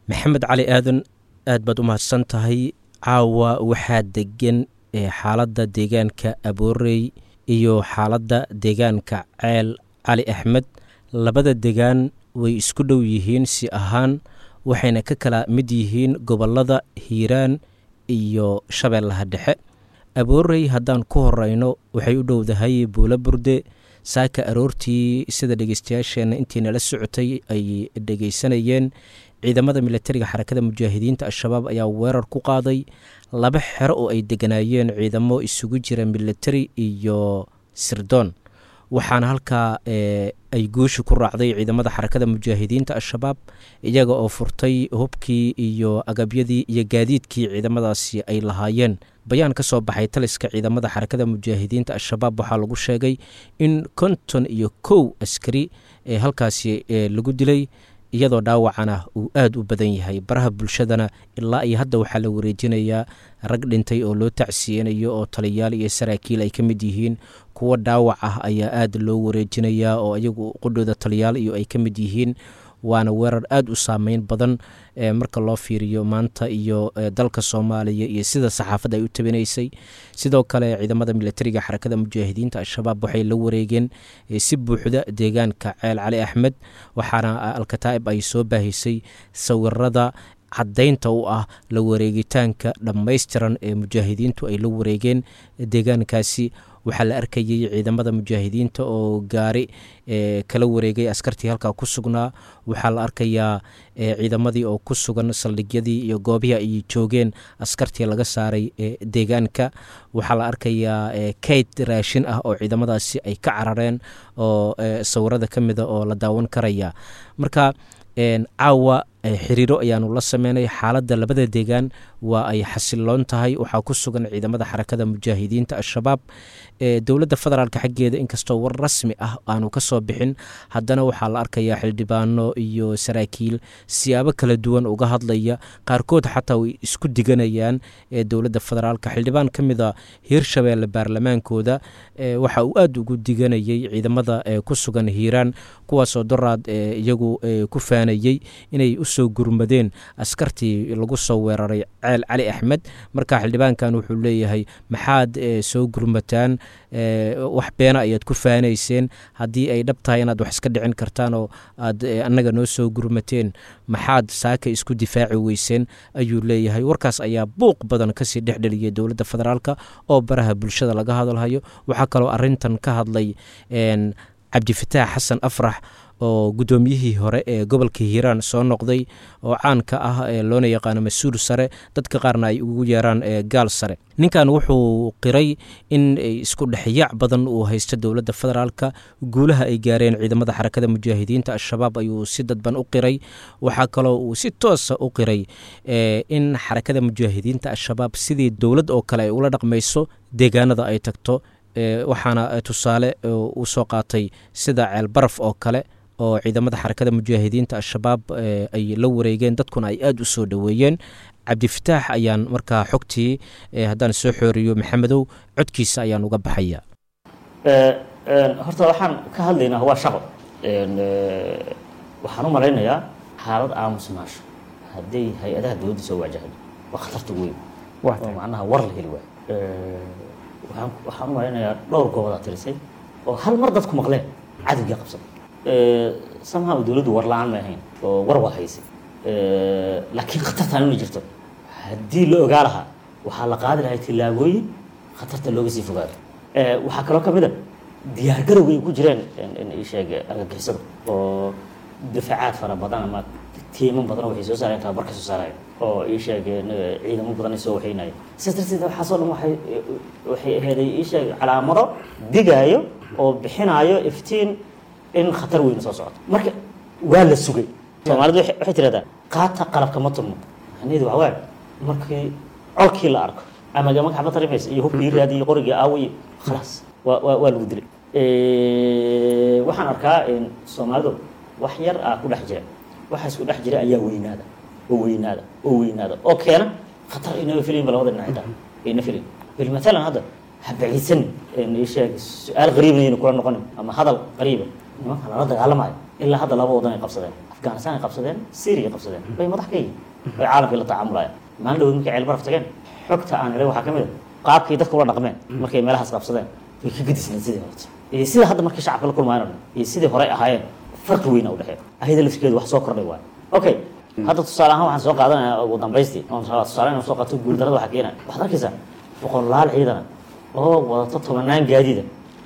Maxamed Cali Aadan, aad baad u mahadsan tahay. Caawa waxaa degan xaaladda deegaanka Aboorey iyo xaaladda deegaanka Ceel Cali Axmed. Labada degaan way isku dhow yihiin si ahaan, waxayna ka kala mid yihiin gobollada Hiiraan iyo Shabeellaha Dhexe. Aboorey haddaan ku horeyno, waxay u dhowdahay Buulo Burde. Saaka aroortii, sida dhegeystayaasheenna intii nala socotay ay dhegeysanayeen, ciidamada militariga Xarakada Mujaahidiinta Al-Shabaab ayaa weerar ku qaaday laba xero oo ay deganaayeen ciidamo isugu jira militari iyo sirdoon, waxaana halkaa ay guusha ku raacday ciidamada Xarakada Mujaahidiinta Al-Shabaab, iyaga oo furtay hubkii iyo agabyadii iyo gaadiidkii ciidamadaasi ay lahaayeen. Bayaan ka soo baxay taliska ciidamada Xarakada Mujaahidiinta Al-Shabaab waxaa lagu sheegay in 51 askari ee halkaasi lagu dilay, iyadoo dhaawacana uu aada u badan yahay. Baraha bulshadana ilaa iyo hadda waxaa la wareejinayaa rag dhintay oo loo tacsiyeynayo, oo taliyaal iyo saraakiil ay ka mid yihiin. Kuwo dhaawac ah ayaa aada loo wareejinayaa, oo iyagu qudhooda taliyaal iyo ay ka mid yihiin. Waana weerar aada u saameyn badan marka loo fiiriyo maanta iyo dalka Soomaaliya iyo sida saxaafadda ay u tabinaysay. Sidoo kale ciidamada militariga Xarakada Mujaahidiinta Al-Shabaab waxay la wareegeen si buuxda deegaanka Ceel Cali Axmed, waxaana Alkataa'ib ay soo baahisay sawirada caddaynta u ah la wareegitaanka dhammaystiran ee mujaahidiintu ay la wareegeen deegaankaasi. Waxaa la arkayey ciidamada mujaahidiinta oo gaari kala wareegay askartii halkaa ku sugnaa. Waxaa la arkayaa ciidamadii oo ku sugan saldhigyadii iyo goobihii ay joogeen askartii laga saaray deegaanka. Waxaa la arkayaa kayd raashin ah oo ciidamadaasi ay ka carareen oo sawirada ka mida oo la daawan karaya. Marka caawa xiriiro ayaanu la sameynay. Xaaladda labada deegaan waa ay xasiloon tahay, waxaa ku sugan ciidamada Xarakada Mujaahidiinta Al-Shabaab. Dowladda federaalka xaggeeda inkastoo war rasmi ah aanu ka soo bixin, haddana waxaa la arkayaa xildhibaano iyo saraakiil siyaabo kala duwan uga hadlaya, qaarkood xataa way isku diganayaan dowladda federaalka. Xildhibaan ka mid a Hiirshabeelle baarlamaankooda waxa uu aada ugu diganayay ciidamada ku sugan Hiiraan, kuwaasoo doraad iyagu ku faanayey inay usoo gurmadeen askartii lagu soo weeraray Ceel Cali Axmed. Marka xildhibaankan wuxuu leeyahay, maxaad soo gurmataan? Wax beena ayaad ku faanayseen. Haddii ay dhab tahay inaad wax iska dhicin kartaan oo aad annaga noo soo gurmateen, maxaad saaka isku difaaci weyseen, ayuu leeyahay. Warkaas ayaa buuq badan kasii dhexdheliyay dowladda federaalka oo baraha bulshada laga hadalhayo. Waxaa kaloo arintan ka hadlay Cabdifataax Xasan Afrax, oo guddoomiyihii hore ee gobolka Hiiraan soo noqday oo caanka ah ee loona yaqaano mas-uul sare, dadka qaarna ay ugu yeeraan gaal sare. Ninkan wuxuu qiray in isku dhexyaac badan uu haysto dowladda federaalka. Guulaha ay gaareen ciidamada Xarakada Mujaahidiinta Al-Shabaab ayuu si dadban u qiray. Waxaa kaloo uu si toosa u qiray in Xarakada Mujaahidiinta Al-Shabaab sidii dowlad oo kale ay ula dhaqmayso deegaanada ay tagto, waxaana tusaale uu soo qaatay sida Ceelbaraf oo kale oo ciidamada Xarakada Mujaahidiinta Al-Shabaab ay la wareegeen, dadkuna ay aada u soo dhoweeyeen. Cabdifataax ayaan markaa xogtii haddaan soo xooriyo, Maxamedow, codkiisa ayaan uga baxaya. Horta waxaan ka hadlaynaa waa shaqo. Waxaan u malaynayaa xaalad aamusnaasho hadday hay-adaha dowladda soo wajahdo waa khatarta ugu weyn oo macnaha war la heli waayo. Waxaan u malaynayaa dhowr goobodaa tirisay oo hal mar dadku maqleen cadowgii qabsaday. Somehow dowladdu war la-aan may ahayn oo war waa haysay, laakiin khatartaan inay jirto haddii la ogaa lahaa, waxaa la qaadi lahay tillaabooyin khatarta looga sii fogaado. Waxaa kaloo ka mid a diyaargarowga ay ku jireen ii sheeg argagixisada oo difacaad fara badan ama tiiman badan waxay soo saareen, tababar ka soo saareen oo ii sheeg ciidamo badan ay soo waxaynayeen. Sidaas darteed waxaasoo dhan waxay aheeday ii sheeg calaamado digaayo oo bixinaayo iftiin in khatar weyn soo socoto. Marka waa la sugay. Soomaalidu waxay tirahdaa qaata qalabka ma turmo. Macnaheedu waxaa waaye markii colkii la arko ama magaca ma tarimaysa iyo hubkii raadi iyo qorigii aaway, khalaas, waa lagu dilay. Waxaan arkaa Soomaalidu wax yar ah ku dhex jira, waxaas ku dhex jira ayaa weynaada oo weynaada oo weynaada oo keena khatar inaga filayin ba labada dhinac xitaa ayna filayin. Bil matalan hadda ha baciidsan ii sheeg su-aal qariibna aynu kula noqonin ama hadal qariiba. Nimanka lala dagaalamayo ilaa hadda laba wadan ay qabsadeen, Afghanistan ay qabsadeen, Syria ay qabsadeen, bay madax ka yihiin, bay caalamkii la tacaamulayaan. Maalin dhaweyd markay Ceelbaraf tageen, xogta aan helay waxaa ka mid a qaabkii dadka ula dhaqmeen markay meelahaas qabsadeen way ka gedisneen sidii horta iyo sida hadda markay shacabka la kulmayaan oo dhan iyo sidii horey ahaayeen, farqi weyn u dhexeeya. Ayada laftirkeedu wax soo kordhay waayo. Okay, hadda tusaale ahaan waxaan soo qaadanayaa ugu dambaystii oon rabaa tusaale inaan soo qaato guuldarrada waxaa keenaya. Waxaad arkaysaa boqolaal ciidana oo wadato tobanaan gaadiida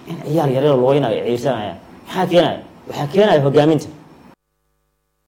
in ciyaal yaryar looynayo ay ciirsanayaan. Maxaa keenaya? Waxaa keenaya hogaaminta.